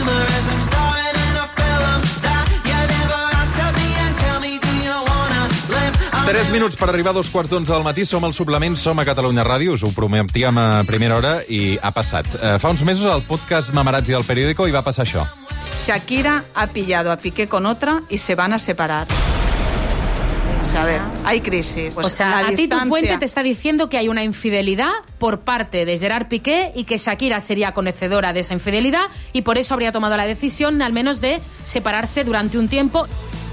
rumor is I'm starring in a film that you never asked to be and tell me, do you wanna live? 3 minuts per arribar a 2:15 del matí. Som al Suplement, som a Catalunya Ràdio. Us ho prometíem a primera hora i ha passat. Fa uns mesos al podcast Mamarazzi del Periódico hi va passar això. Shakira ha pillado a Piqué con otra y se van a separar. A ver, hay crisis. Pues o sea, a ti tu fuente te está diciendo que hay una infidelidad por parte de Gerard Piqué y que Shakira sería conocedora de esa infidelidad y por eso habría tomado la decisión, al menos, de separarse durante un tiempo.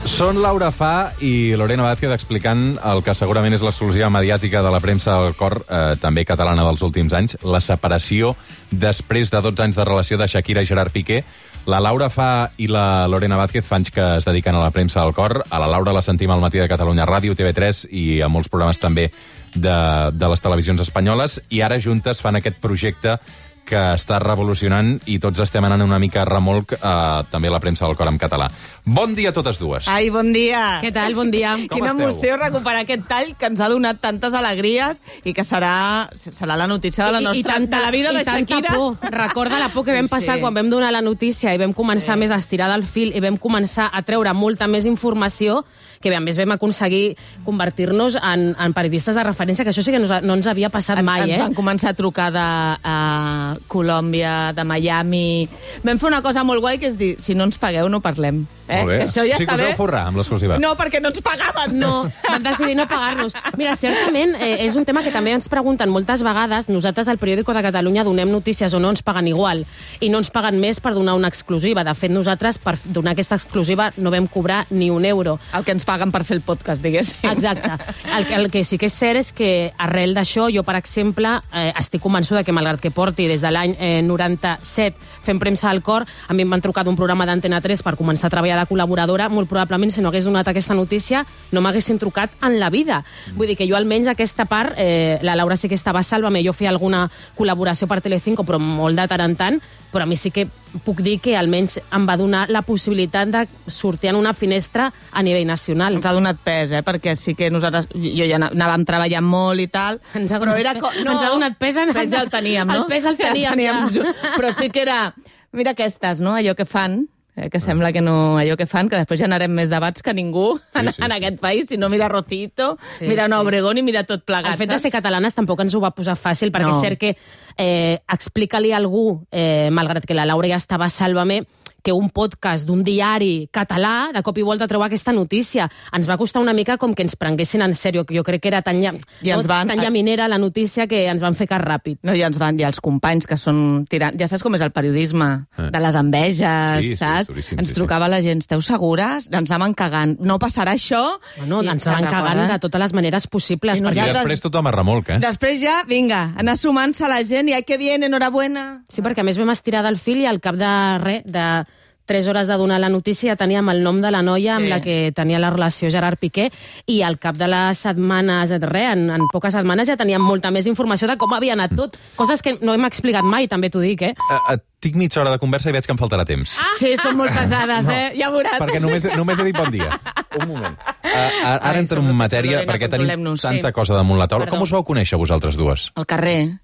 Són Laura Fa i Lorena Vázquez explicant el que segurament és l'exclusiva mediàtica de la premsa del cor, també catalana dels últims anys, la separació després de 12 anys de relació de Shakira i Gerard Piqué. La Laura Fa i la Lorena Vázquez fa anys que es dediquen a la premsa del cor. A la Laura la sentim al matí de Catalunya Ràdio, TV3 i a molts programes també de les televisions espanyoles. I ara juntes fan aquest projecte que està revolucionant i tots estem anant una mica a remolc també a la premsa del cor en català. Bon dia a totes dues. Ai, bon dia. Què tal? Bon dia. Quina emoció recuperar aquest tall que ens ha donat tantes alegries i que serà la notícia de la nostra... de la vida de Shakira. Tanta por. Recorda la por que vam passar quan vam donar la notícia i vam començar més a estirar del fil i vam començar a treure molta més informació, que a més vam aconseguir convertir-nos en periodistes de referència, que això sí que no ens havia passat mai. Ens van començar a trucar de Colòmbia, de Miami. Vam fer una cosa molt guai, que és dir, si no ens pagueu no parlem. Molt bé. Que això ja sí que us vau forrar amb l'exclusiva. No, perquè no ens pagaven. No, van decidir no pagar-nos. Mira, certament, és un tema que també ens pregunten moltes vegades. Nosaltres al Periódico de Catalunya donem notícies o no ens paguen igual. I no ens paguen més per donar una exclusiva. De fet, nosaltres, per donar aquesta exclusiva, no vam cobrar ni un euro. El que ens paguen per fer el podcast, diguéssim. Exacte. El que sí que és cert és que arrel d'això, jo, per exemple, estic convençuda que, malgrat que porti des de l'any 97 fent premsa al cor, a mi em van trucar d'un programa d'Antena 3 per començar a treballar de col·laboradora, molt probablement, si no hagués donat aquesta notícia, no m'haguessin trucat en la vida. Vull dir que jo, almenys, aquesta part, la Laura sí que estava a Sálvame, jo feia alguna col·laboració per Telecinco, però molt de tant en tant, però a mi sí que puc dir que almenys em va donar la possibilitat de sortir en una finestra a nivell nacional. Ens ha donat pes, perquè sí que nosaltres... Jo ja anàvem treballant molt i tal, però era... Ens ha donat pes... Pes ja el teníem, no? El pes el teníem, ja. Però sí que era... Mira aquestes, no? Allò que fan... que sembla que no... Allò que fan, que després generem més debats que ningú en aquest país. Si no, mira Rocito, mira Ana Obregón i mira tot plegat. El fet de ser catalanes tampoc ens ho va posar fàcil, perquè és cert que explica-li a algú, malgrat que la Laura ja estava a Sálvame, que un podcast d'un diari català de cop i volta treu aquesta notícia. Ens va costar una mica com que ens prenguessin en sèrio, que jo crec que era tan llaminera la notícia que ens van fer cas ràpid. No, i els companys que són tirant... Ja saps com és el periodisme, de les enveges, saps? Ens trucava la gent, esteu segures? Ens anaven cagant. No passarà això? Bueno, ens anaven cagant de totes les maneres possibles. I després tothom a remolc, Després ja, vinga, anar sumant-se la gent i que bien, enhorabuena. Sí, perquè a més vam estirar del fil i al cap de 3 hores de donar la notícia ja teníem el nom de la noia amb la que tenia la relació Gerard Piqué i al cap de les setmanes, en poques setmanes ja teníem molta més informació de com havia anat tot. Coses que no hem explicat mai, també t'ho dic, Tinc mitja hora de conversa i veig que em faltarà temps. Sí, són molt pesades, ja veuràs. Perquè només he dit bon dia. Un moment. Ara entro en matèria, perquè tenim tanta cosa damunt la taula. Com us vau conèixer vosaltres dues? Al carrer.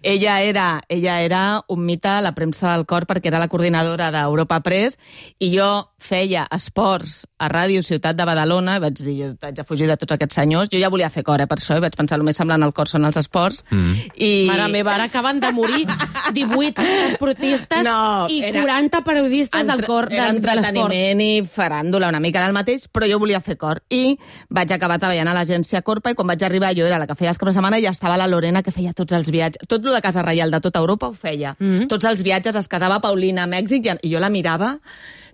Ella era un mite a la premsa del cor perquè era la coordinadora d'Europa Press i jo feia esports a Ràdio Ciutat de Badalona i vaig dir, jo haig de fugir de tots aquests senyors. Jo ja volia fer cor, per això, i vaig pensar, el més semblant al cor són els esports. Mare meva, ara acaben de morir 18 esportistes i 40 periodistes del cor de l'esport. Era entreteniment i faràndula, una mica del mateix, però jo volia fer cor. I vaig acabar treballant a l'agència Corpa i quan vaig arribar jo era la que feia els caps de setmana i ja estava la Lorena que feia tots els viatges. Tot el de Casa Reial de tota Europa ho feia. Tots els viatges, es casava Paulina a Mèxic i jo la mirava.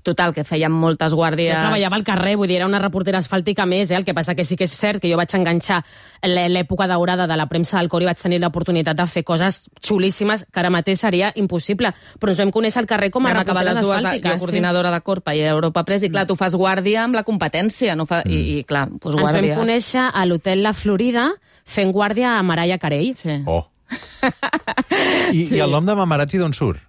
Total, que fèiem moltes guàrdies... Jo treballava al carrer, vull dir, era una reportera asfàltica més, El que passa que sí que és cert que jo vaig enganxar l'època daurada de la premsa del cor i vaig tenir l'oportunitat de fer coses xulíssimes que ara mateix seria impossible. Però ens vam conèixer al carrer com a reporteres asfàltiques. Jo coordinadora de Corpa i Europa Press, i clar, tu fas guàrdia amb la competència, i clar, doncs guàrdies... Ens vam conèixer a l'hotel La Florida fent guàrdia a Mariah Carey. Sí. I el nom de Mamarazzi d'on surt?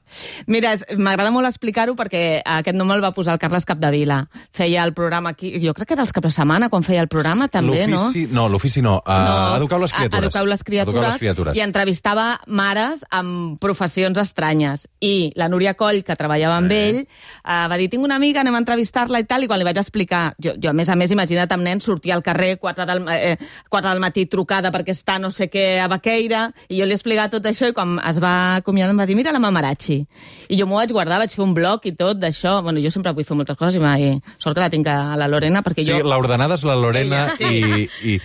Mira, m'agrada molt explicar-ho perquè aquest nom el va posar el Carles Capdevila. Feia el programa aquí, jo crec que era els caps de setmana quan feia el programa, també, no? L'ofici no. Educau les criatures. Educau les criatures. I entrevistava mares amb professions estranyes. I la Núria Coll, que treballava amb ell, va dir, tinc una amiga, anem a entrevistar-la i tal, i quan li vaig explicar, jo a més, imagina't amb nens, sortia al carrer 4 del matí trucada perquè està no sé què a Baqueira, i jo li explicava tot això, i quan es va acomiadar em va dir, mira la Mamarachi. I jo m'ho vaig guardar, vaig fer un blog i tot d'això. Bueno, jo sempre vull fer moltes coses i sort que la tinc a la Lorena, perquè jo... Sí, l'ordenada és la Lorena i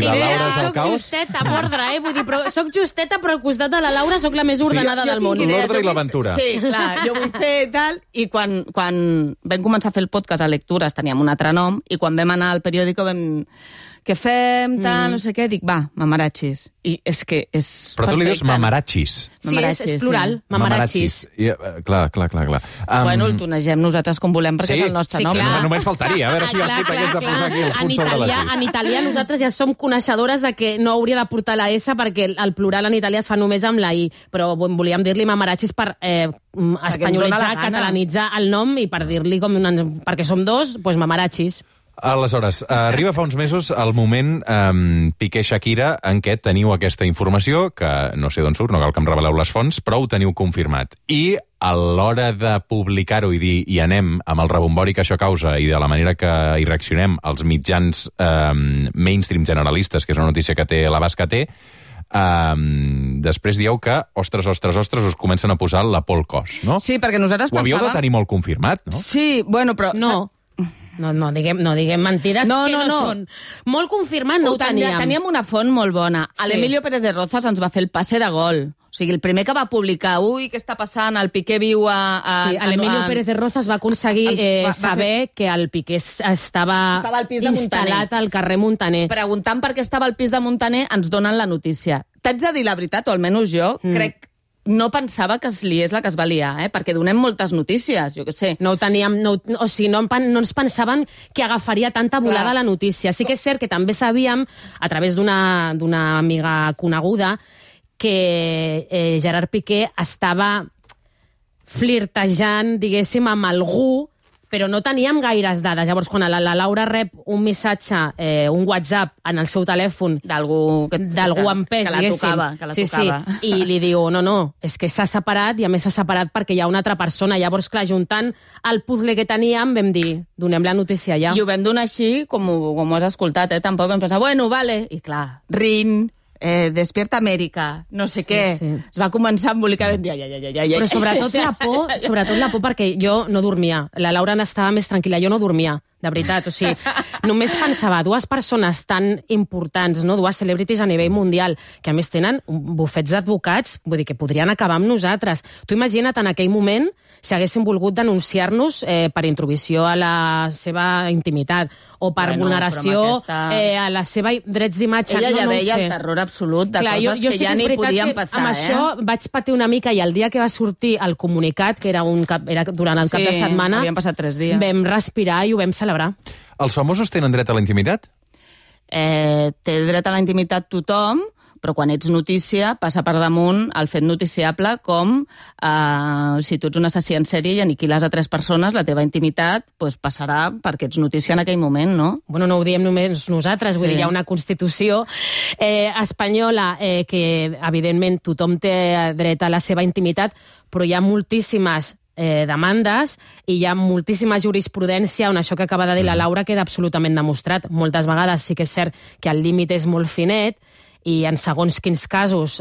la Laura és el caos. Soc justeta, mordre, vull dir, però soc justeta, però al costat de la Laura soc la més ordenada del món. L'ordre i l'aventura. Sí, clar, jo vull fer tal, i quan vam començar a fer el podcast a Lectures teníem un altre nom, i quan vam anar al periòdico vam... Què fem, tal, no sé què, dic, va, mamarachis. I és que és Però tu li dius mamarachis. Sí, és plural, mamarachis. Clar. Bueno, el tonegem nosaltres com volem, perquè és el nostre nom. Clar. Només faltaria, a veure si el Pit hagués de posar aquí els punts sobre les is. En italià nosaltres ja som coneixedores de que no hauria de portar la S perquè el plural en italià es fa només amb la I, però volíem dir-li mamarachis per espanyolitzar, catalanitzar el nom i per dir-li perquè som dos, doncs mamarachis. Aleshores, arriba fa uns mesos el moment Piqué-Shakira en què teniu aquesta informació, que no sé d'on surt, no cal que em reveleu les fonts, però ho teniu confirmat. I a l'hora de publicar-ho i dir i anem amb el rebombori que això causa i de la manera que hi reaccionem als mitjans mainstream generalistes, que és una notícia que té l'abast que té, després dieu que, ostres, us comencen a posar la por al cos, no? Sí, perquè nosaltres pensàvem... Ho havíeu de tenir molt confirmat, no? Sí, bueno, però... No diguem mentides que no són. Molt confirmat no ho teníem. Teníem una font molt bona. Sí. L'Emilio Pérez de Rozas ens va fer el passe de gol. O sigui, el primer que va publicar, què està passant, el Piqué viu Sí, l'Emilio Pérez de Rozas va aconseguir saber que el Piqué estava al pis de instal·lat al carrer Muntaner. Preguntant per què estava al pis de Muntaner, ens donen la notícia. T'haig de dir la veritat, o almenys jo, crec... No pensava que es liés la que es va liar, perquè donem moltes notícies, jo què sé. No ho teníem, no ens pensaven que agafaria tanta volada la notícia. Sí que és cert que també sabíem, a través d'una amiga coneguda, que Gerard Piqué estava flirtejant, diguéssim, amb algú, però no teníem gaires dades. Llavors, quan la Laura rep un missatge, un WhatsApp en el seu telèfon d'algú amb pes, diguéssim. Que la tocava. I li diu, no, és que s'ha separat, i a més s'ha separat perquè hi ha una altra persona. Llavors, clar, juntant el puzzle que teníem, vam dir, donem la notícia ja. I ho vam donar així, com ho has escoltat, Tampoc vam pensar, bueno, vale. I clar, Rin... Despierta Amèrica, no sé què. Es va començar a embolicar. Però sobretot la por perquè jo no dormia. La Laura n'estava més tranquil·la, jo no dormia, de veritat. O sigui, només pensava, dues persones tan importants, no? Dues celebrities a nivell mundial, que a més tenen bufets d'advocats, vull dir que podrien acabar amb nosaltres. Tu imagina't en aquell moment si haguessin volgut denunciar-nos per intromissió a la seva intimitat o per vulneració a la seva drets d'imatge. Ella ja veia el terror absolut de coses que ja ni podien passar. Amb això vaig patir una mica, i el dia que va sortir el comunicat, que era durant el cap de setmana, havien passat 3 dies. Vam respirar i ho vam celebrar. Els famosos tenen dret a la intimitat? Té dret a la intimitat tothom, però quan ets notícia passa per damunt el fet noticiable com si tu ets un assassí en sèrie i aniquiles a 3 persones, la teva intimitat passarà perquè ets notícia en aquell moment, no? Bueno, no ho diem només nosaltres, vull dir, hi ha una Constitució espanyola que, evidentment, tothom té dret a la seva intimitat, però hi ha moltíssimes demandes i hi ha moltíssima jurisprudència on això que acaba de dir la Laura queda absolutament demostrat. Moltes vegades sí que és cert que el límit és molt finet, i en segons quins casos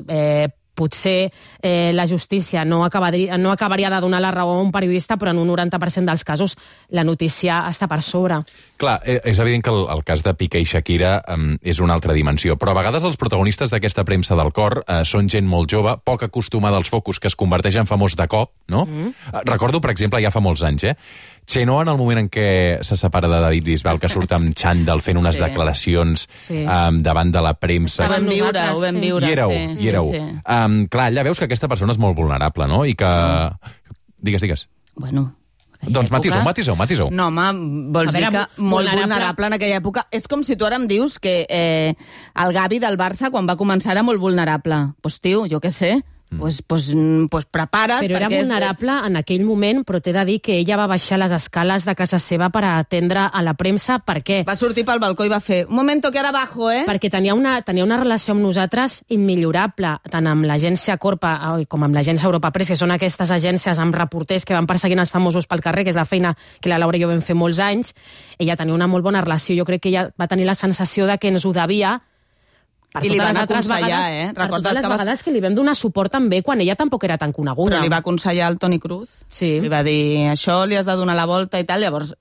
potser la justícia no acabaria de donar la raó a un periodista, però en un 90% dels casos la notícia està per sobre. Clar, és evident que el cas de Piqué i Shakira és una altra dimensió, però a vegades els protagonistes d'aquesta premsa del cor són gent molt jove, poc acostumada als focus, que es converteix en famós de cop, no? Recordo, per exemple, ja fa molts anys, Chenoa, en el moment en què se separa de David Bisbal, que surt amb xandall fent unes declaracions davant de la premsa. Ho vam viure. Hi éreu. Clar, allà veus que aquesta persona és molt vulnerable, no? I que... Digues. Bueno... Doncs matiseu. No, home, vols dir que molt vulnerable en aquella època. És com si tu ara em dius que el Gavi del Barça, quan va començar, era molt vulnerable. Doncs, tio, jo què sé... pues prepara't. Però era perquè vulnerable en aquell moment, però t'he de dir que ella va baixar les escales de casa seva per atendre a la premsa. Per què? Va sortir pel balcó i va fer un momento que ara bajo, Perquè tenia una relació amb nosaltres immillorable, tant amb l'agència Corpa com amb l'agència Europa Press, que són aquestes agències amb reporters que van perseguint els famosos pel carrer, que és la feina que la Laura i jo vam fer molts anys. Ella tenia una molt bona relació. Jo crec que ella va tenir la sensació de que ens ho devia. Per I li totes van les altres aconsellar, vegades, per Recorda't totes les que vegades que li vam donar suport també quan ella tampoc era tan coneguda. Però li va aconsellar el Toni Cruz. Sí. Li va dir, això li has de donar la volta i tal. Llavors,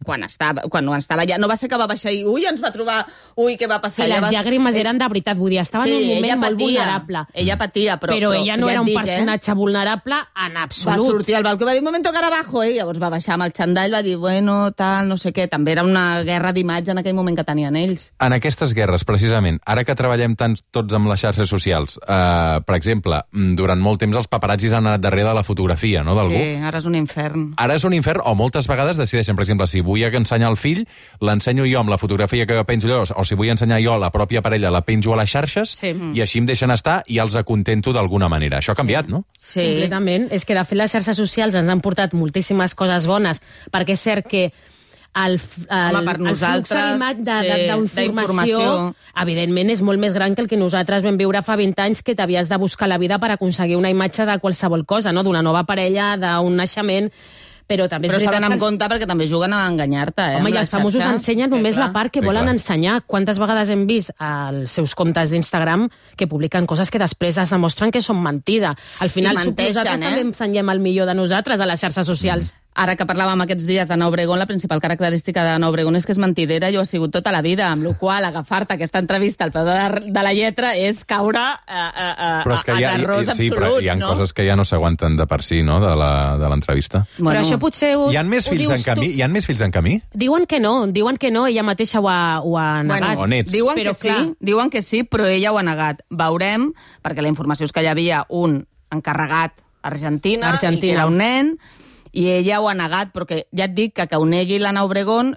quan estava allà, no va ser que va baixar i ens va trobar, què va passar? I les llàgrimes eren de veritat, vull dir, estava en un moment molt vulnerable. Ella patia, però ella no ja era un et dic, personatge vulnerable en absolut. Va sortir al balcó i va dir, un moment que ara bajo, Llavors va baixar amb el xandall, va dir, bueno, tal, no sé què. També era una guerra d'imatge en aquell moment que tenien ells. En aquestes guerres, precisament, ara que treballem tant tots amb les xarxes socials, per exemple, durant molt temps els paparazzis han anat darrere de la fotografia, no?, d'algú. Sí, ara és un infern. Ara és un infern, o moltes vegades decideixen, per exemple, si vull ensenyar el fill, l'ensenyo jo amb la fotografia que jo penjo allò, o si vull ensenyar jo la pròpia parella, la penjo a les xarxes, i així em deixen estar i els acontento d'alguna manera. Això ha canviat, no? Sí. Completament. És que, de fet, les xarxes socials ens han portat moltíssimes coses bones, perquè és cert que el flux d'informació, evidentment, és molt més gran que el que nosaltres vam viure fa 20 anys, que t'havies de buscar la vida per aconseguir una imatge de qualsevol cosa, no?, d'una nova parella, d'un naixement. Però també és s'ha d'anar veritat amb compte perquè també juguen a enganyar-te, Home, i els famosos ensenyen només la part que volen ensenyar. Quantes vegades hem vist als seus comptes d'Instagram que publiquen coses que després es demostren que són mentida. Al final, nosaltres també ensenyem el millor de nosaltres a les xarxes socials. Ara que parlàvem aquests dies d'Anna Obregón, la principal característica d'Anna Obregón és que és mentidera i ho ha sigut tota la vida, amb la qual agafar-te aquesta entrevista al peu de la lletra és caure a d'errors absoluts. Sí, però hi ha coses que ja no s'aguanten de per si, no?, de l'entrevista. Però això potser Hi ha més fills en camí? Hi ha més fills en camí? Diuen que no, ella mateixa ho ha negat. O nets. Diuen que sí, però ella ho ha negat. Veurem, perquè la informació és que hi havia un encarregat a Argentina. I que era un nen, i ella ho ha negat, perquè ja et dic que ho negui l'Anna Obregón,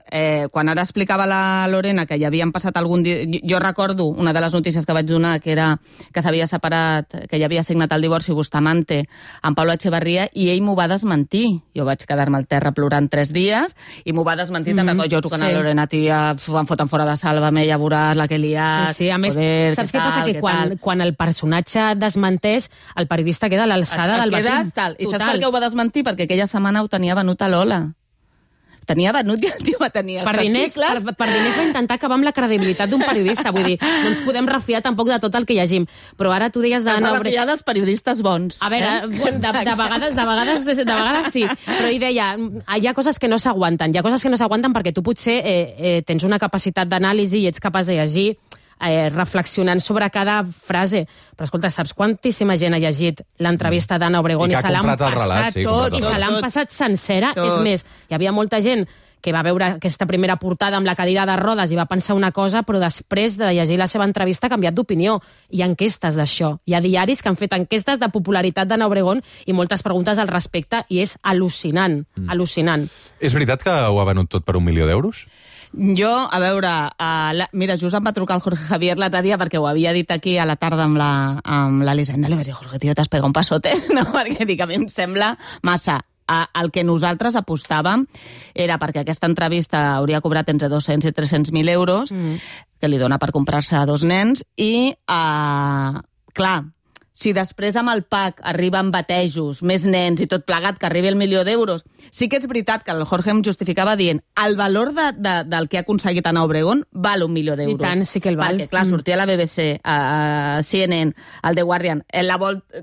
quan ara explicava la Lorena que hi havien passat algun dia... Jo recordo una de les notícies que vaig donar, que era que s'havia separat, que ja havia signat el divorci Bustamante amb Pablo Echevarría, i ell m'ho va desmentir. Jo vaig quedar-me al terra plorant 3 dies, i m'ho va desmentir. Te'n recordo, jo trucant a la Lorena, tia, em foten fora de Sálvame, ja veuràs la que he liat... Sí, a més, saps què passa? Que quan el personatge desmenteix, el periodista queda a l'alçada del batint. I saps per què ho va desmentir? Perquè aquella setmana ho tenia venut a Lola. Tenia venut i el tio va tenir els testicles. Per diners va intentar acabar amb la credibilitat d'un periodista. Vull dir, no ens podem refiar tampoc de tot el que llegim. Però ara tu deies d'Anna Obregón... Has de refiar dels periodistes bons. A veure, de vegades sí. Però ell deia, hi ha coses que no s'aguanten. Hi ha coses que no s'aguanten perquè tu potser tens una capacitat d'anàlisi i ets capaç de llegir reflexionant sobre cada frase. Però escolta, saps quantíssima gent ha llegit l'entrevista d'Anna Obregón i se l'han passat sencera? És més, hi havia molta gent que va veure aquesta primera portada amb la cadira de rodes i va pensar una cosa, però després de llegir la seva entrevista ha canviat d'opinió. Hi ha enquestes d'això. Hi ha diaris que han fet enquestes de popularitat d'Anna Obregón i moltes preguntes al respecte, i és al·lucinant. Al·lucinant. És veritat que ho ha venut tot per 1 milió d'euros? Jo, a veure, mira, just em va trucar el Jorge Javier l'altre dia perquè ho havia dit aquí a la tarda amb l'Elisenda. Li vaig dir, Jorge, tio, t'has pegat un passote? No, perquè dic, a mi em sembla massa. El que nosaltres apostàvem era perquè aquesta entrevista hauria cobrat entre 200 i 300.000 euros, que li dona per comprar-se 2 nens, i, clar, si després amb el PAC arriben batejos, més nens i tot plegat, que arribi el 1 milió d'euros, sí que és veritat que el Jorge em justificava dient el valor del que ha aconseguit Anna Obregón val 1 milió d'euros. I tant, sí que el val. Perquè, clar, sortia a la BBC, a CNN, al The Guardian,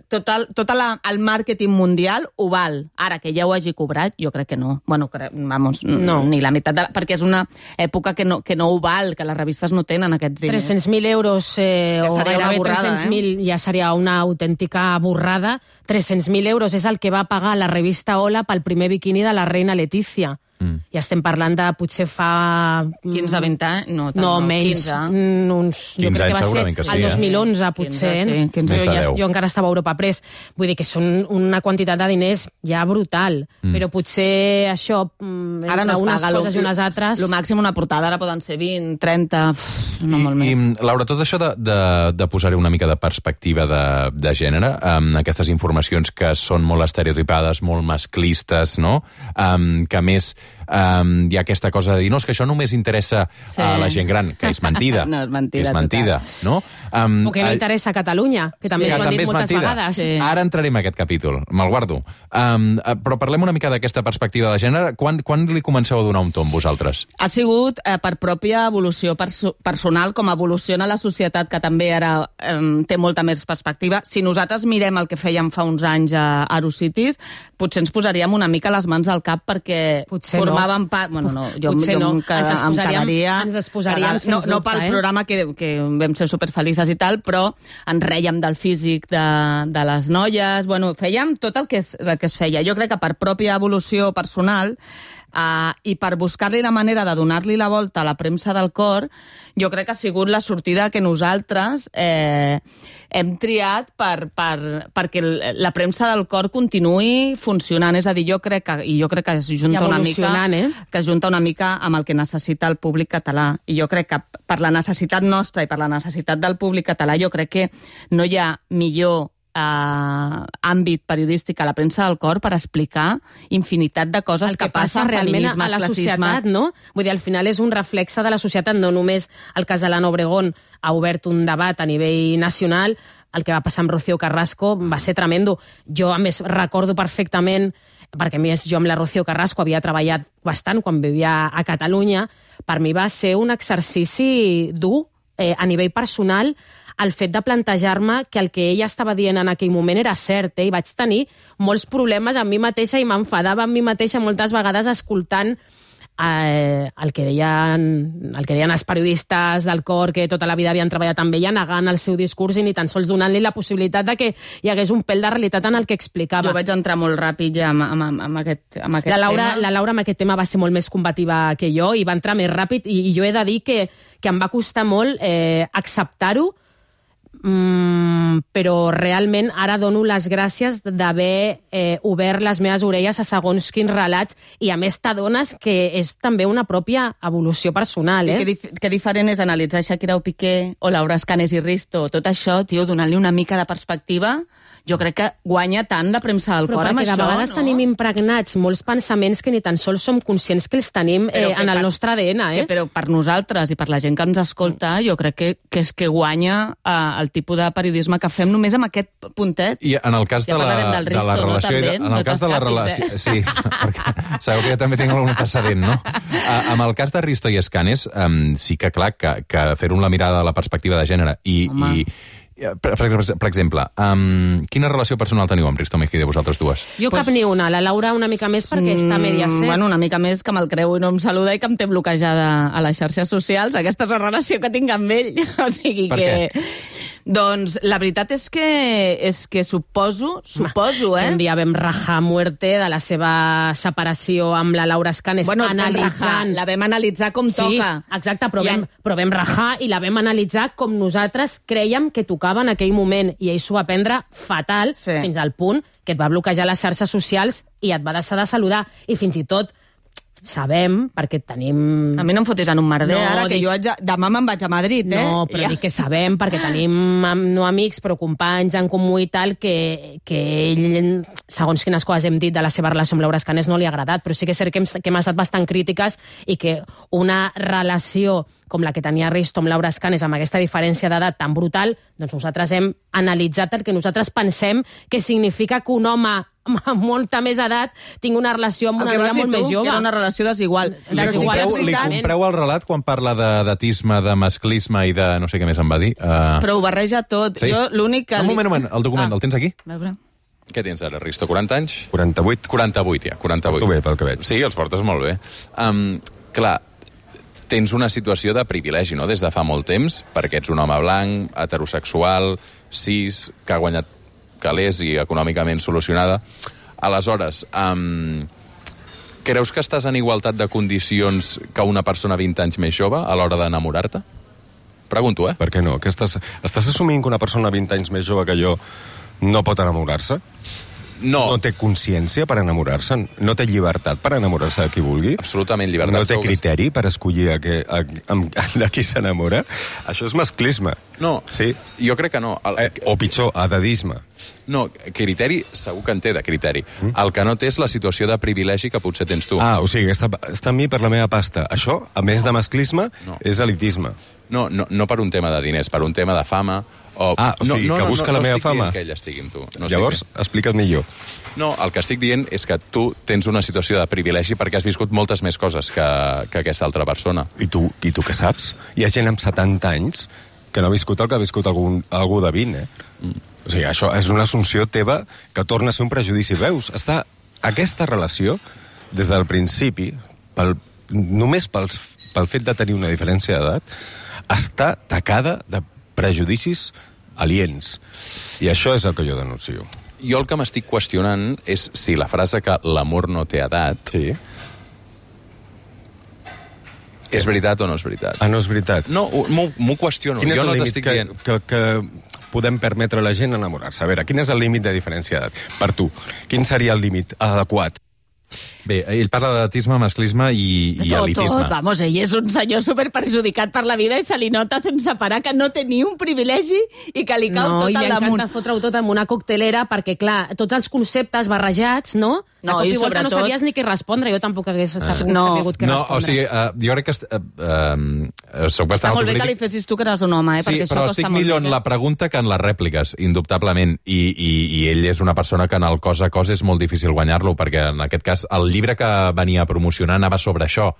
tot el màrqueting mundial ho val. Ara, que ja ho hagi cobrat, jo crec que no. Bueno, vamos, no. Ni la meitat, perquè és una època que no ho val, que les revistes no tenen aquests diners. 300.000 euros o gairebé 300.000 ja seria una autèntica borrada. 300.000 euros és el que va pagar la revista Hola pel primer biquini de la reina Letícia. I estem parlant de potser fa... 15-20 anys? No, No, menys. 15. Uns, jo 15 crec que va segurament ser que sí, el 2011, potser. 15, sí, 15. Més de 10. Jo encara estava a Europa Press. Vull dir que són una quantitat de diners ja brutal. Però potser això, Ara no entre es unes paga. coses i unes altres... Lo màxim una portada ara poden ser 20, 30, no molt més. I, Laura, tot això de posar-hi una mica de perspectiva de gènere, aquestes informacions que són molt estereotipades, molt masclistes, no? Que a més hi ha aquesta cosa de dir, no, és que això només interessa a la gent gran, que és mentida. No, és mentida, que és mentida, no? O que no interessa a Catalunya, que també que ens ho han també dit és moltes mentida. vegades. Sí. Ara entrarem a aquest capítol, me'l guardo. Però parlem una mica d'aquesta perspectiva de gènere. Quan li comenceu a donar un tomb, vosaltres? Ha sigut per pròpia evolució personal, com evoluciona la societat, que també ara té molta més perspectiva. Si nosaltres mirem el que fèiem fa uns anys a Arocities, potser ens posaríem una mica les mans al cap perquè Potser formàvem part... Bueno, no, jo Potser no. em quedaria... Ens exposaríem, sens no dubte, pel programa que vam ser superfelices i tal, però ens rèiem del físic de les noies. Bueno, fèiem tot el que es feia. Jo crec que per pròpia evolució personal i per buscar-li la manera de donar-li la volta a la premsa del cor, jo crec que ha sigut la sortida que nosaltres hem triat perquè la premsa del cor continuï funcionant. És a dir, jo crec que es junta una mica que es junta una mica amb el que necessita el públic català. I jo crec que per la necessitat nostra i per la necessitat del públic català, jo crec que no hi ha millor àmbit periodístic a la premsa del cor per explicar infinitat de coses que passen realment feminismes, a la classismes. societat, no? Vull dir, al final és un reflexe de la societat, no només el cas de l'Anna Obregón ha obert un debat a nivell nacional, el que va passar amb Rocío Carrasco va ser tremendo. Jo, a més, recordo perfectament, perquè a més jo amb la Rocío Carrasco havia treballat bastant quan vivia a Catalunya, per mi va ser un exercici dur a nivell personal, el fet de plantejar-me que el que ella estava dient en aquell moment era cert, i vaig tenir molts problemes amb mi mateixa i m'enfadava amb mi mateixa moltes vegades escoltant el que deien els periodistes del cor que tota la vida havien treballat amb ella, negant el seu discurs i ni tan sols donant-li la possibilitat de que hi hagués un pèl de realitat en el que explicava. Jo vaig entrar molt ràpid ja amb aquest tema. La Laura amb aquest tema va ser molt més combativa que jo i va entrar més ràpid i jo he de dir que em va costar molt acceptar-ho, però realment ara dono les gràcies d'haver obert les meves orelles a segons quins relats i a més t'adones que és també una pròpia evolució personal. Que diferent és analitzar Shakira o Piqué o Laura Escanes i Risto, tot això, tio, donant-li una mica de perspectiva. Jo crec que guanya tant la premsa del cor amb això, no? Però perquè de vegades tenim impregnats molts pensaments que ni tan sols som conscients que els tenim en el nostre ADN. Però per nosaltres i per la gent que ens escolta, jo crec que és que guanya el tipus de periodisme que fem només amb aquest puntet. I en el cas de la relació... En el cas de la relació... Sí, perquè sabeu que jo també tinc algun antecedent, no? Amb el cas de Risto i Escanes, sí que, clar, que fer-ho amb la mirada de la perspectiva de gènere i per exemple, quina relació personal teniu amb Risto Mejide, vosaltres dues? Jo cap ni una, la Laura una mica més perquè està a Mediaset. Bueno, una mica més que me'l creu i no em saluda i que em té bloquejada a les xarxes socials. Aquesta és la relació que tinc amb ell. O sigui per que... què? Doncs la veritat és que suposo, Un dia vam rajar a muerte de la seva separació amb la Laura Escanes, analitzant... La vam analitzar com toca. Sí, exacte, però vam rajar i la vam analitzar com nosaltres crèiem que tocava en aquell moment, i ell s'ho va prendre fatal, fins al punt que et va bloquejar les xarxes socials i et va deixar de saludar. I fins i tot sabem, perquè tenim... A mi no em fotis en un merder, ara, que jo demà me'n vaig a Madrid, No, però dic que sabem, perquè tenim no amics, però companys en comú i tal, que ell, segons quines coses hem dit de la seva relació amb Laura Escanes, no li ha agradat, però sí que és cert que hem estat bastant crítiques i que una relació com la que tenia Risto amb Laura Escanes, amb aquesta diferència d'edat tan brutal, doncs nosaltres hem analitzat el que nosaltres pensem que significa que un home amb molta més edat tingui una relació amb una noia molt més jove. Que era una relació desigual. Li compreu el relat quan parla d'edatisme, de masclisme i de no sé què més em va dir? Però ho barreja tot. Sí? Jo l'únic que... Un moment, el document, el tens aquí? A veure. Què tens ara, Risto? 40 anys? 48. 48, ja, 48. Porto bé, pel que veig. Sí, els portes molt bé. Clar, tens una situació de privilegi, no?, des de fa molt temps, perquè ets un home blanc, heterosexual, cis, que ha guanyat calés i econòmicament solucionada. Aleshores, creus que estàs en igualtat de condicions que una persona 20 anys més jove a l'hora d'enamorar-te? Pregunto, eh? Per què no? Que estàs assumint que una persona 20 anys més jove que jo no pot enamorar-se? No, No té consciència per enamorar-se? No té llibertat per enamorar-se de qui vulgui? absolutament llibertat. No té segur que sí. criteri per escollir de qui s'enamora? Això és masclisme. No, Sí. jo crec que no. O pitjor, edadisme. No, criteri, segur que en té de criteri. El que no té és la situació de privilegi que potser tens tu. O sigui, està amb mi per la meva pasta. Això, a més de masclisme, No. és elitisme. No per un tema de diners, per un tema de fama. O sigui, que busca la meva fama. No estic dient que ell estigui amb tu. No Llavors, explica't millor. No, el que estic dient és que tu tens una situació de privilegi perquè has viscut moltes més coses que aquesta altra persona. I tu què saps? Hi ha gent amb 70 anys que no ha viscut el que ha viscut algú de 20, O sigui, això és una assumpció teva que torna a ser un prejudici. Veus? Aquesta relació, des del principi, només pel fet de tenir una diferència d'edat, està tacada de prejudicis aliens. I això és el que jo denuncio. Jo el que m'estic qüestionant és si la frase que l'amor no té edat Sí. és veritat o no és veritat. No és veritat. No, m'ho qüestiono. Quin és Jo no el límit t'estic dient... que podem permetre a la gent enamorar-se? A veure, quin és el límit de diferència d'edat? Per tu, quin seria el límit adequat? Bé, ell parla d'edatisme, masclisme i elitisme. Vamos, ell és un senyor superperjudicat per la vida i se li nota sense parar que no té ni un privilegi i que li cau tot i al li damunt. encanta fotre-ho tot en una coctelera perquè, clar, tots els conceptes barrejats, no? No, A cop i i volta sobretot- no sabies ni què respondre. Jo tampoc hagués sabut què No, respondre. o sigui, jo crec que soc Està bastant molt bé que li autocrític. fessis tu que eres un home, Sí, perquè però això estic costa molt millor més, en la pregunta que en les rèpliques, indubtablement. I ell és una persona que en el cos a cos és molt difícil guanyar-lo, perquè en aquest cas el llibre que venia a promocionar anava sobre això.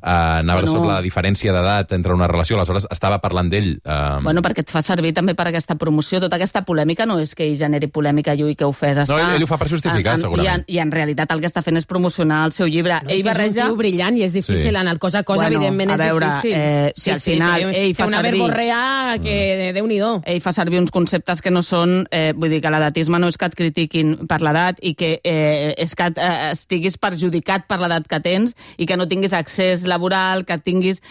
Anava sobre la diferència d'edat entre una relació, aleshores estava parlant d'ell. Bueno, perquè et fa servir també per aquesta promoció. Tota aquesta polèmica no és que ell generi polèmica, Llull, que ho fes. ell ho fa per justificar, segurament. I en realitat el que està fent és promocionar el seu llibre. No, Ell que és un barreja... tio brillant i és difícil. Sí. En el cos a cos, Bueno, evidentment, a és veure, difícil. si al final ell fa té una servir- verborrea que Déu-n'hi-do. Ell fa servir uns conceptes que no són... vull dir que l'edatisme no és que et critiquin per l'edat i que és que estiguis perjudicat per l'edat que tens i que no tinguis accés laboral, que tinguis...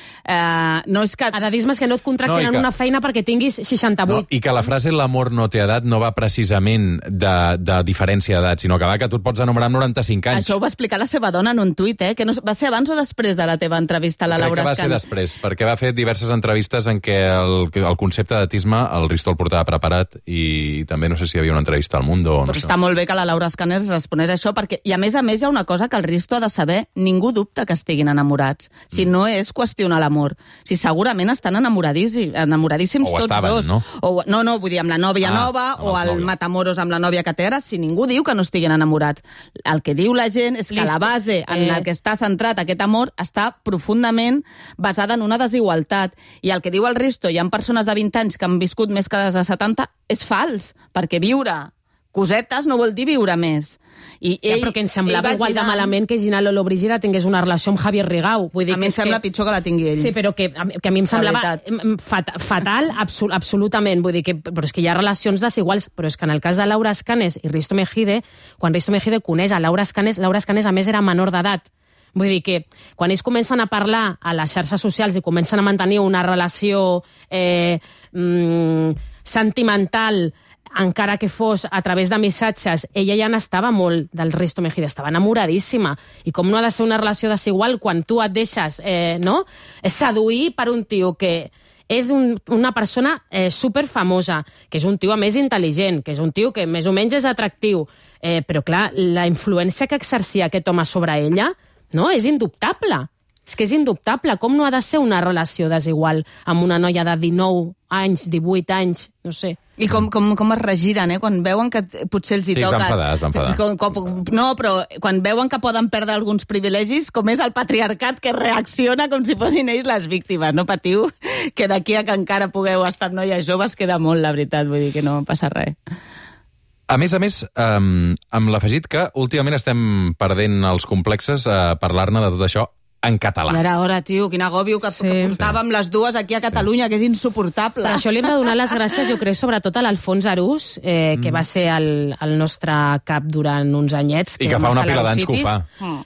no és que... Edadisme és que no et contracten No, i en que- una feina perquè tinguis 68. No, I que la frase l'amor no té edat no va precisament de diferència d'edat, sinó que va que tu et pots enamorar amb 95 anys. Això ho va explicar la seva dona en un tuit, que no, va ser abans o després de la teva entrevista a la Crec Laura que va ser Escana? després, perquè va fer diverses entrevistes en què el concepte d'edatisme el Risto el portava preparat i també no sé si hi havia una entrevista al Mundo o no Però sé. està molt bé que la Laura Escanes responés a això, perquè, i a més hi ha una cosa que el Risto ha de saber, ningú dubta que estiguin enamorats. Si no és qüestionar l'amor. Si segurament estan enamoradíssims O tots estaven, dos. no? No, vull dir, amb la nòvia nova amb o els el nòvios. Matamoros amb la nòvia que té ara, si ningú diu que no estiguin enamorats. El que diu la gent és que la base en la que està centrat aquest amor està profundament basada en una desigualtat. I el que diu el Risto, hi ha persones de 20 anys que han viscut més que les de 70, és fals, perquè viure cosetes no vol dir viure més. I Però que ens semblava igual de malament que Gina Lolo Brígida tingués una relació amb Javier Rigau. Vull dir A mi em sembla pitjor que la tingui ell. Sí, però que a mi em semblava fatal, absolutament. Vull dir però és que hi ha relacions desiguals, però és que en el cas de Laura Escanes i Risto Mejide, quan Risto Mejide coneix a Laura Escanes a més era menor d'edat. Vull dir que quan ells comencen a parlar a les xarxes socials i comencen a mantenir una relació sentimental, encara que fos a través de missatges, ella ja n'estava molt del Risto Mejide, estava enamoradíssima. I com no ha de ser una relació desigual quan tu et deixes seduir per un tio que és una persona superfamosa, que és un tio a més intel·ligent, que és un tio que més o menys és atractiu, però clar, la influència que exercia aquest home sobre ella és indubtable. És que és indubtable. Com no ha de ser una relació desigual amb una noia de 19 anys, 18 anys, no sé. I com es regiren, quan veuen que potser els hi Sí, es toques... va enfadar. No, però quan veuen que poden perdre alguns privilegis, com és el patriarcat que reacciona com si fossin ells les víctimes. No patiu, que d'aquí a que encara pugueu estar noies joves queda molt, la veritat. Vull dir que no passa res. A més, amb l'afegit que últimament estem perdent els complexes a parlar-ne de tot això en català. I ara, tio, quin agòbio que portàvem les dues aquí a Catalunya, que és insuportable. Per això li hem de donar les gràcies, jo crec, sobretot a l'Alfons Arús, que va ser el nostre cap durant uns anyets. I que fa una pila d'anys que ho fa.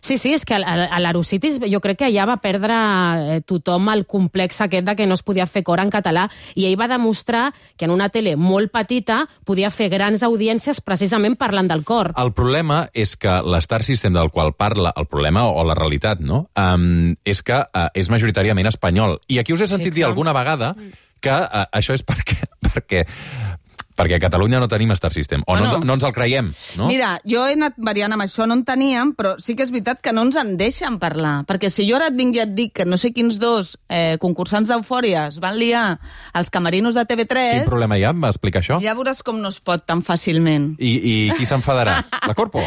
Sí, és que a l'Arúsitis jo crec que allà va perdre tothom el complex aquest de que no es podia fer cor en català, i ell va demostrar que en una tele molt petita podia fer grans audiències precisament parlant del cor. El problema és que l'Star System del qual parla, el problema o la realitat, no?, és que és majoritàriament espanyol. I aquí us he sentit dir alguna vegada que això és perquè a Catalunya no tenim Star System. O no ens el creiem, no? Mira, jo he anat variant amb això, no en teníem, però sí que és veritat que no ens en deixen parlar. Perquè si jo ara et vinc i et dic que no sé quins dos concursants d'Eufòria es van liar als camerinos de TV3... Quin problema hi ha amb explicar això? Ja veuràs com no es pot tan fàcilment. I qui s'enfadarà? La Corpo?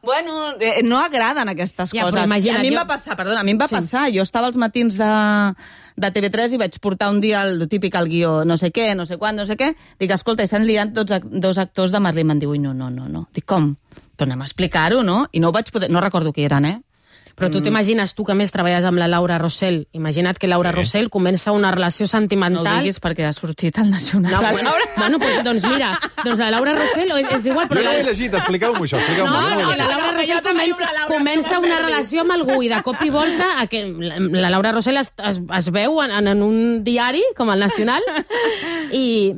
Bueno, no agraden aquestes coses. Imagina't, a mi em va passar, perdona, passar. Jo estava als matins de TV3 i vaig portar un dia el típic al guió, no sé què, no sé quan, no sé què. Dic, escolta, s'han liat dos actors de Merlí. Me'n diu, no. Dic, com? Però anem a explicar-ho, no? I no ho vaig poder... No recordo qui eren, Però tu t'imagines, tu que més treballes amb la Laura Rossell, imagina't que Laura Rossell comença una relació sentimental... No ho diguis perquè ha sortit al Nacional. No, doncs mira, la Laura Rossell és igual... Però no l'he llegit, expliqueu-m'ho això. La Laura Rossell comença una relació amb algú i de cop i volta la Laura Rossell es veu en un diari com el Nacional i...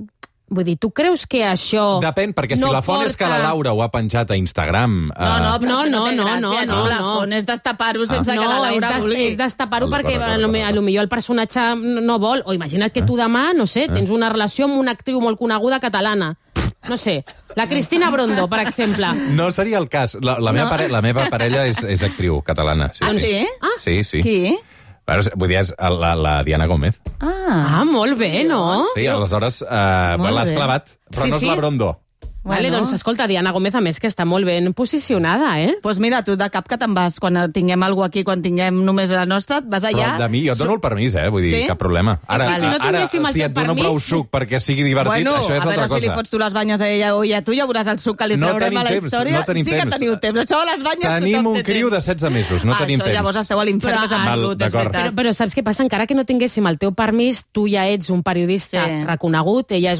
Vull dir, tu creus que això... Depèn, perquè si la font és que la Laura ho ha penjat a Instagram... però no té gràcia, no. La font és destapar-ho sense que la Laura vulgui. És destapar-ho perquè potser el personatge no vol. O imagina't que tu demà, no sé, tens una relació amb una actriu molt coneguda catalana. No sé, la Cristina Brondo, per exemple. No seria el cas. La meva parella és actriu catalana. Sí? Sí. Qui? Vull dir, és la Diana Gómez. Molt bé, no? Sí, aleshores l'has clavat, però no és la Brondo. Vale, doncs escolta, Diana Gómez, a més, que està molt ben posicionada, Doncs mira, tu de cap que te'n vas, quan tinguem alguna aquí, quan tinguem només la nostra, et vas allà... Però de mi, jo et dono el permís, vull dir, cap problema. Ara, si et dono prou suc perquè sigui divertit, això és altra cosa. A veure si li fots tu les banyes a ella o a tu, ja veuràs el suc que li traurem a la història. Sí que teniu temps. Això, les banyes, tothom té temps. Tenim un criu de 16 mesos, no tenim temps. Llavors esteu a l'infern més absolut, és veritat. Però saps què passa? Encara que no tinguéssim el teu permís, tu ja ets un periodista reconegut, ella és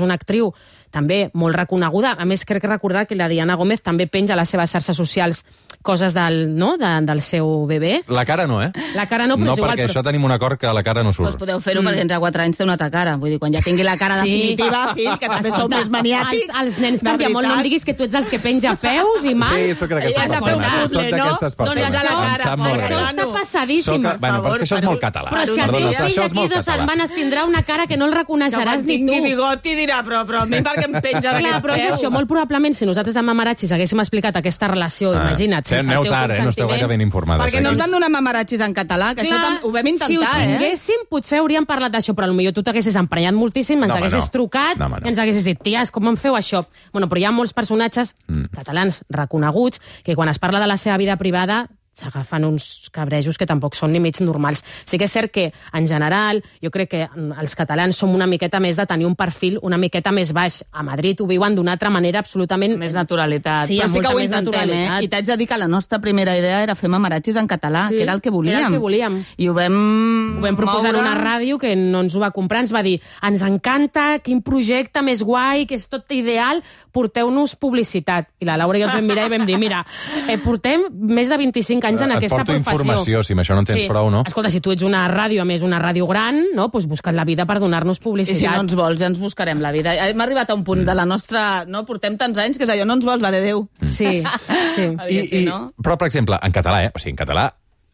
una actriu també molt reconeguda. A més, crec recordar que la Diana Gómez també penja a les seves xarxes socials coses del seu bebè. La cara no, La cara no, però és igual. No, perquè això tenim un acord que la cara no surt. Doncs podeu fer-ho perquè entre 4 anys té una altra cara. Vull dir, quan ja tingui la cara definitiva, fill, que també sou més maniàtics. Els nens canvien molt. No em diguis que tu ets els que penja peus i mans. Sí, sóc d'aquestes persones. Em sap molt greu. Això està passadíssim. Bueno, però és que això és molt català. Però si el teu fill d'aquí 2 setmanes tindrà una cara que no el reconeixeràs ni tu. Que bigoti dirà, però a mi perquè em penja d'aquest peu. Però és això, molt probablement, si nosaltres amb Mamaratxis haguéssim explicat aquesta relació, imagina't, sense el teu consentiment... No esteu gaire ben informades. Perquè no ens van donar Mamaratxis en català, que això ho vam intentar, Si ho tinguéssim, potser hauríem parlat d'això, però potser tu t'haguessis emprenyat moltíssim, ens haguessis trucat, i ens haguessis dit, ties, com em feu això? Bueno, però hi ha molts personatges catalans reconeguts que quan es parla de la seva vida privada s'agafen uns cabrejos que tampoc són ni mig normals. Sí que és cert que, en general, jo crec que els catalans som una miqueta més de tenir un perfil una miqueta més baix. A Madrid ho viuen d'una altra manera absolutament... Més naturalitat. Sí, però sí que ho intentem, I t'haig de dir que la nostra primera idea era fer Mamaratxis en català, que era el que volíem. Era el que volíem. I ho vam proposar una ràdio que no ens ho va comprar, ens va dir, ens encanta, quin projecte més guai, que és tot ideal, porteu-nos publicitat. I la Laura i jo ens vam mirar i vam dir, mira, portem més de 25 anys en aquesta professió. Et porto informació, si amb això no en tens prou, no? Escolta, si tu ets una ràdio, a més una ràdio gran, no? Doncs busca't la vida per donar-nos publicitat. I si no ens vols, ja ens buscarem la vida. Hem arribat a un punt de la nostra... No, portem tants anys que és allò, no ens vols, vale, Déu. Sí. Però, per exemple, en català, o sigui, en català,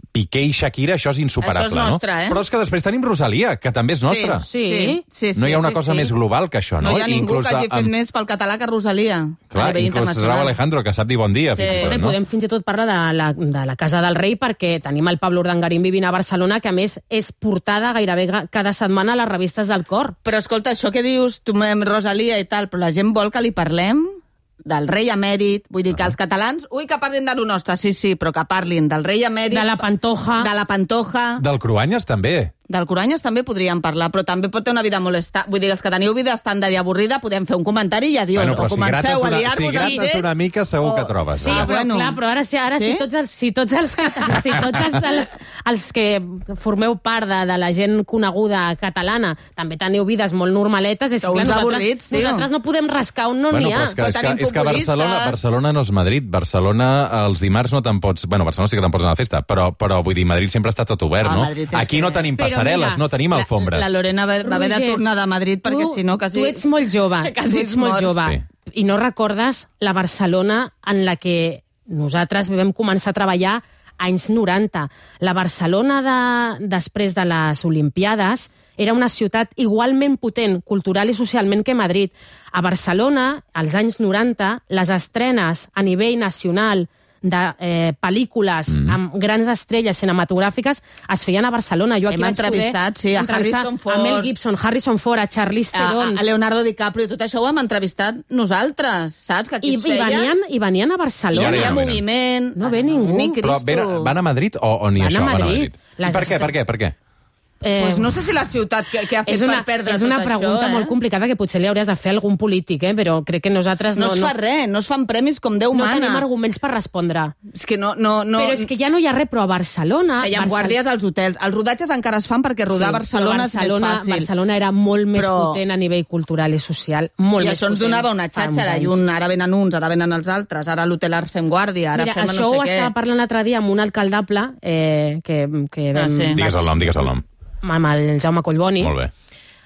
Piqué i Shakira, això és insuperable, això és nostre, no? Però és que després tenim Rosalia, que també és nostra. Sí. No hi ha una cosa més global que això, no? No hi ha ningú que hagi fet més pel català que Rosalia. Clar, inclús Raúl Alejandro, que sap dir bon dia. Podem fins i tot parlar de la Casa del Rei, perquè tenim el Pablo Urdangarín vivint a Barcelona, que a més és portada gairebé cada setmana a les revistes del cor. Però escolta, això que dius, tu Rosalia i tal, però la gent vol que li parlem del rei emèrit, vull dir que els catalans, que parlin de lo nostre, sí, però que parlin del rei emèrit... De la Pantoja. De la Pantoja. Del Cruanyes, també. Del Coranyes també podríem parlar, però també pot tenir una vida molesta. Vull dir, els que teniu vida estàndard i avorrida podem fer un comentari i adiós. Bueno, però o comenceu a liar-vos si grates una mica segur que trobes. Sí, però clar, però ara sí? Si tots els que formeu part de la gent coneguda catalana també teniu vides molt normaletes, és que clar, nosaltres no podem rascar on no n'hi ha. És que Barcelona no és Madrid. Barcelona els dimarts no te'n pots... Bueno, Barcelona sí que te'n pots anar a la festa, però vull dir, Madrid sempre està tot obert, no? Aquí no tenim passarel·les, no tenim alfombres. La Lorena va haver de tornar de Madrid perquè si no quasi... Tu ets molt jove, i no recordes la Barcelona en la que nosaltres vam començar a treballar anys 90. La Barcelona després de les Olimpiades era una ciutat igualment potent, cultural i socialment, que Madrid. A Barcelona, als anys 90, les estrenes a nivell nacional de pel·lícules amb grans estrelles cinematogràfiques es feien a Barcelona. Jo aquí hem entrevistat, a Harrison Ford, a Mel Gibson, Harrison Ford, a Charlize Theron, a Leonardo DiCaprio, tot això ho hem entrevistat nosaltres, saps? Que aquí I venien a Barcelona. Hi ha moviment. No ve ningú. Però van a Madrid o ni això? Van a Madrid. Per què? Pues no sé si la ciutat que ha fet per perdre tot això... És una pregunta molt complicada que potser li hauries de fer a algun polític, però crec que nosaltres no es fa res, no es fan premis com Déu mana. No tenim arguments per respondre. És que no... Però és que ja no hi ha res, però a Barcelona... Fèiem guàrdies als hotels. Els rodatges encara es fan perquè rodar a Barcelona és més fàcil. Barcelona era molt més potent a nivell cultural i social, molt més potent. I això ens donava una xatxa, ara venen uns, ara venen els altres, ara a l'hotel Arts fem guàrdia, ara fem no sé què. Això ho estava parlant l'altre dia amb un alcaldable que Digues el nom. Amb el Jaume Collboni. Molt bé.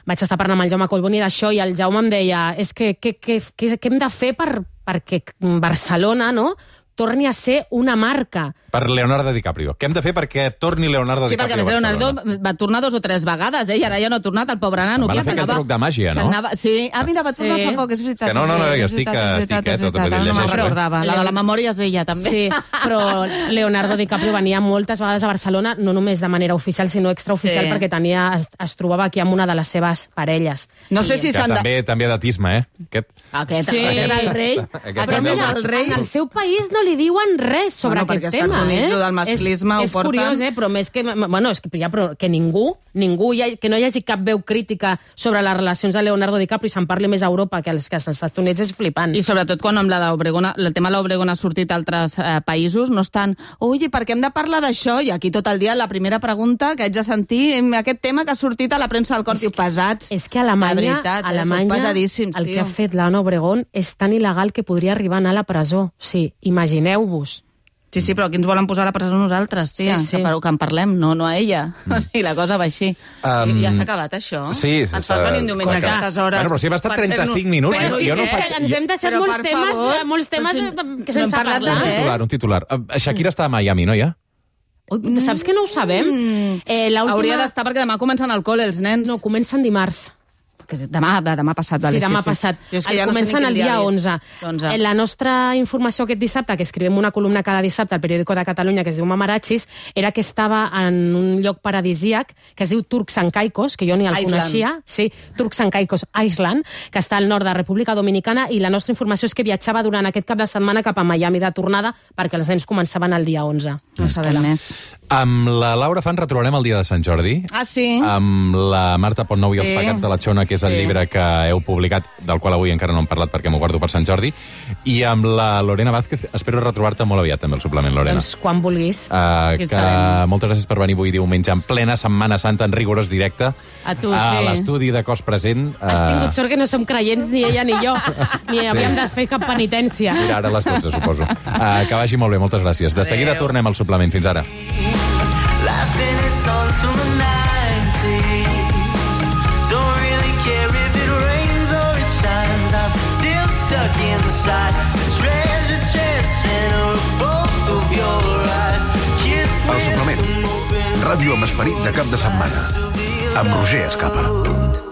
Vaig estar parlant amb el Jaume Collboni d'això i el Jaume em deia què hem de fer perquè Barcelona, no?, torni a ser una marca. Per Leonardo DiCaprio. Què hem de fer perquè torni Leonardo DiCaprio a Barcelona? Sí, perquè Leonardo va tornar 2 o 3 vegades, i ara ja no ha tornat, el pobre nano. Van a fer aquest truc de màgia, no? Sí, mira, va tornar fa poc, és veritat. Que no, jo estic tot a no me'n recordava. La de la memòria és ella, també. Sí, però Leonardo DiCaprio venia moltes vegades a Barcelona, no només de manera oficial, sinó extraoficial, perquè es trobava aquí amb una de les seves parelles. No sé si s'han de... També datisme, Aquest és el rei. Però mira, en el seu país no li diuen res sobre aquest tema. Perquè als Estats Units del masclisme ho porten... És curiós, però més que... Bueno, és que ningú, que no hi hagi cap veu crítica sobre les relacions de Leonardo DiCaprio i se'n parli més a Europa que als Estats Units és flipant. I sobretot quan amb el tema de l'Obregón ha sortit a altres països, no estan... Ui, per què hem de parlar d'això? I aquí tot el dia la primera pregunta que haig de sentir, aquest tema que ha sortit a la premsa del Corp, pesats. És que a Alemanya el que ha fet l'Anna Obregón és tan il·legal que podria arribar a anar a la presó. Sí, imagineu-vos. Sí, però aquí ens volen posar a la presó nosaltres, tia, que en parlem, no a ella. O sigui, la cosa va així. Ja s'ha acabat, això? Sí. Ens fas venir un diumenge a aquestes hores. Bueno, però si hem estat 35 minuts. Però sí, ens hem deixat molts temes que sense parlar. Un titular. Shakira està a Miami, no, ja? Saps que no ho sabem? Hauria d'estar perquè demà comencen al col·le els nens. No, comencen dimarts. Demà passat. Sí, demà passat. Comencen el dia 11. La nostra informació aquest dissabte, que escrivim una columna cada dissabte al Periódico de Catalunya, que es diu Mamarachis, era que estava en un lloc paradisíac que es diu Turks and Caicos, que jo ni el coneixia. Sí, Turks and Caicos Island, que està al nord de República Dominicana, i la nostra informació és que viatjava durant aquest cap de setmana cap a Miami de tornada perquè els nens començaven el dia 11. No sabem més. Amb la Laura Fan retrobarem el dia de Sant Jordi. Ah, sí? Amb la Marta Pontnou i els pecats de la Xona, que és el llibre que heu publicat, del qual avui encara no hem parlat perquè m'ho guardo per Sant Jordi, i amb la Lorena Vázquez espero retrobar-te molt aviat també el suplement, Lorena. Doncs quan vulguis. Moltes gràcies per venir avui diumenge en plena Setmana Santa en rigorós directe a l'estudi de Cos Present. Has tingut sort que no som creients ni ella ni jo, ni havíem de fer cap penitència. Mira, ara a les 12, suposo. Que vagi molt bé, moltes gràcies. De seguida tornem al suplement. Fins ara. Laughing its songs from the 90s. Don't really care if it rains or it shines. I'm still stuck inside the treasure chest center of both of your eyes. El suplement. Ràdio amb esperit de cap de setmana. Amb Roger Escapa.